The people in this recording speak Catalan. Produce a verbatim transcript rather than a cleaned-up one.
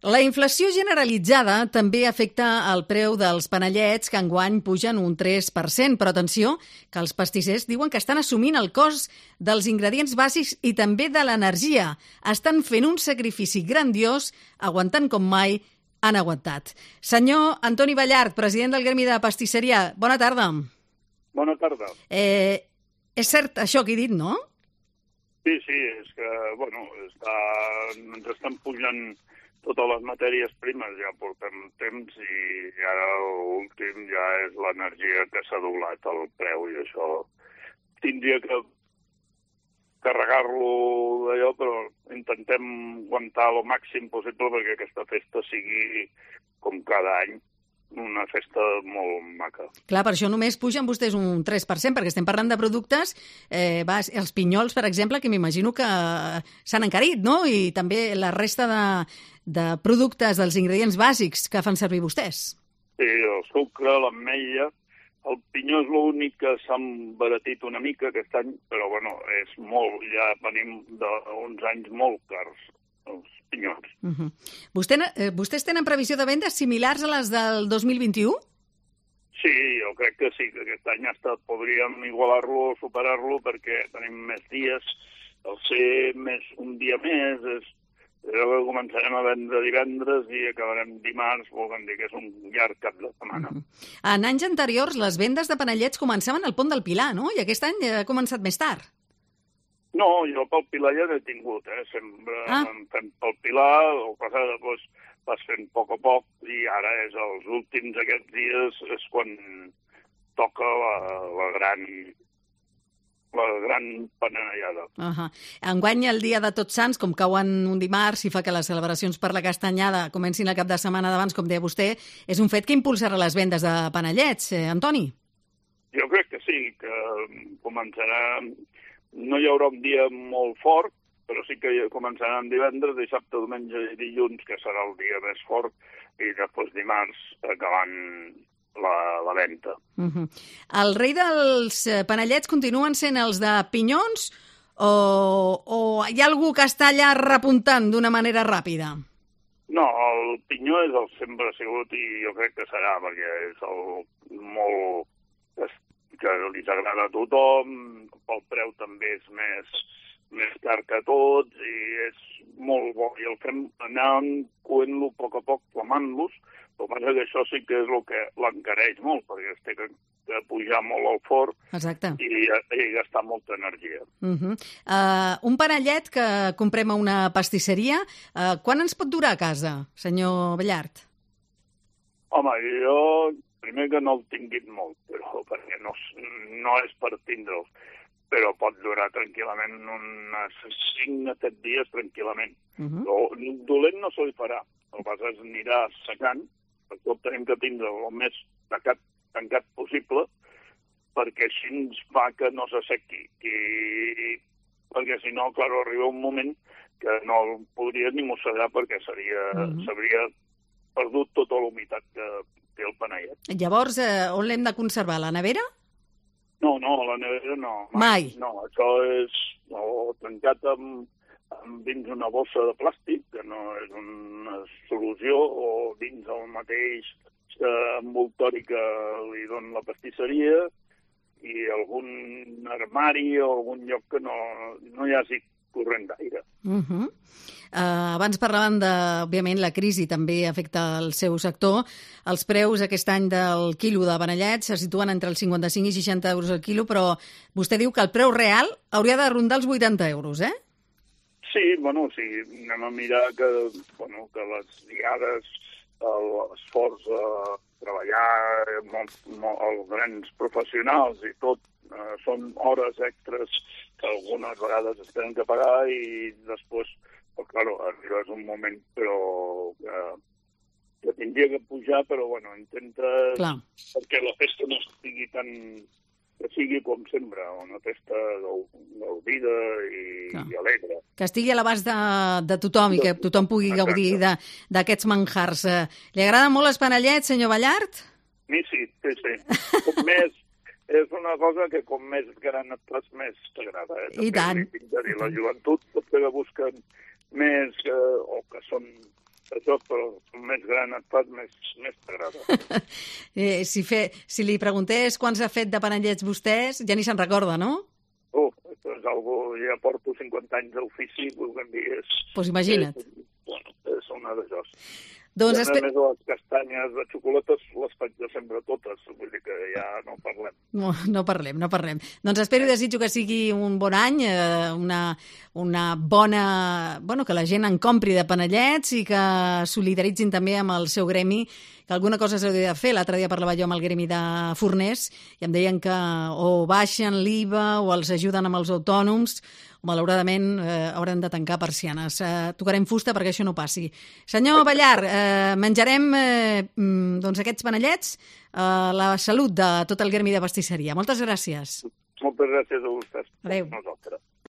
La inflació generalitzada també afecta el preu dels panellets, que enguany pugen un tres per cent. Però atenció, que els pastissers diuen que estan assumint el cost dels ingredients bàsics i també de l'energia. Estan fent un sacrifici grandiós, aguantant com mai han aguantat. Senyor Antoni Ballart, president del Gremi de Pastisseria, bona tarda. Bona tarda. Eh, és cert això que he dit, no? Sí, sí, és que, bueno, està, ens estan pujant totes les matèries primes, ja portem temps i ara l'últim ja és l'energia que s'ha doblat el preu i això tindria que carregar-lo d'allò, però intentem aguantar el màxim possible perquè aquesta festa sigui, com cada any, una festa molt maca. Clar, per això només pugen vostès un tres per cent, perquè estem parlant de productes, eh, va, els pinyols, per exemple, que m'imagino que s'han encarit, no? I també la resta de, de productes, dels ingredients bàsics que fan servir vostès. Sí, el sucre, l'ametlla, el pinyó és l'únic que s'ha embaratit una mica aquest any, però bueno, és molt, ja venim d'uns anys molt cars, els pinyons. Uh-huh. Vostè, eh, vostès tenen previsió de vendes similars a les del dos mil vint-i-u? Sí, jo crec que sí, que aquest any hasta podríem igualar-lo o superar-lo perquè tenim més dies, el ser més un dia més, és, és que començarem a vendre divendres i acabarem dimarts, volem dir que és un llarg cap de setmana. Uh-huh. En anys anteriors les vendes de panellets començaven al Pont del Pilar, no? I aquest any ha començat més tard. No, jo pel Pilar ja n'he tingut, eh? Sempre ah. em fem pel Pilar, el passat després vas fent a poc a poc, i ara és els últims aquests dies és quan toca la, la gran la gran panellada. Uh -huh. Enguany, el dia de Tots Sants, com cauen un dimarts i fa que les celebracions per la castanyada comencin el cap de setmana d'abans, com deia vostè, és un fet que impulsarà les vendes de panellets, eh, Antoni? Jo crec que sí, que començarà... No hi haurà un dia molt fort, però sí que començaran divendres, dissabte, diumenge i dilluns, que serà el dia més fort, i després dimarts acabant la, la venda. Uh -huh. El rei dels panellets continuen sent els de pinyons o, o hi ha algú que està allà repuntant d'una manera ràpida? No, el pinyó és el sempre ha sigut i jo crec que serà, perquè és el molt... que li agrada a tothom, el preu també és més, més car que tots i és molt bo. I el fem anar coent-lo a poc a poc, flamant-los, però passa que això sí que és el que l'encareix molt, perquè es té que, que pujar molt al forn. Exacte. I, i gastar molta energia. Uh -huh. uh, un panellet que comprem a una pastisseria, uh, quan ens pot durar a casa, senyor Ballart? Home, jo... Primer que no el tinguin molt, però perquè no, no és per tindre'ls, però pot durar tranquil·lament uns cinc a set dies tranquil·lament. Uh-huh. Però dolent no se li farà, el que passa és anirà secant, perquè tenim que tindre el més tancat, tancat possible, perquè així ens fa que no s'assequi. I, perquè si no, clar, arriba un moment que no el podria ni mossegar perquè seria, uh-huh. s'hauria perdut tota la humitat que el panellet. Llavors, eh, on l'hem de conservar? A la nevera? No, no, a la nevera no. Mai? mai. No, això és no, tancat amb, amb dins una bossa de plàstic, que no és una solució, o dins el mateix eh, envoltori que li dona la pastisseria, i algun armari o algun lloc que no, no hi hagi corrent d'aire. Uh -huh. uh, abans parlaven de, òbviament, la crisi també afecta el seu sector. Els preus aquest any del quilo de panellets se situen entre els cinquanta-cinc i seixanta euros al quilo, però vostè diu que el preu real hauria de rondar els vuitanta euros, eh? Sí, bueno, sí, anem a mirar que, bueno, que les diades, l'esforç a treballar, molt, molt, els grans professionals i tot, eh, són hores extres que algunes vegades es tenen que pagar i després, però, claro, arribes un moment però que, que tindria que pujar, però bueno, intenta Clar. perquè la festa no estigui tan... que sigui com sempre, una festa gaudida i, i alegre. Que estigui a l'abast de, de tothom i que tothom pugui Exacte. gaudir d'aquests manjars. Li agraden molt els panellets, senyor Ballart? Mi sí, sí, sí. Com més... És una cosa que com més gran et fas, més t'agrada. Eh? I tant. Dir, la joventut potser que busquen més, eh, o que són això, però com més gran et fas, més, més t'agrada. eh, si, fe, si li preguntés quants ha fet de panellets vostès, ja ni se'n recorda, no? Uf, això és algo, ja porto cinquanta anys d'ofici, vulguem dir, és... Doncs pues imagina't. És, bueno, és una de jos. Doncs I a espe... més, les castanyes de xocolates les faig de sempre totes, vull dir que ja no parlem. No, no parlem, no parlem. Doncs espero i desitjo que sigui un bon any, eh, una, una bona... Bueno, que la gent en compri de panellets i que solidaritzin també amb el seu gremi, que alguna cosa s'hauria de fer. L'altre dia parlava jo amb el gremi de forners i em deien que o baixen l'I V A o els ajuden amb els autònoms, o malauradament eh, hauran de tancar persianes. Eh, tocarem fusta perquè això no passi. Senyor Ballar, eh, menjarem eh, doncs aquests panellets a eh, la salut de tot el gremi de pastisseria. Moltes gràcies. Moltes gràcies a vostès. Adéu. Nosaltres.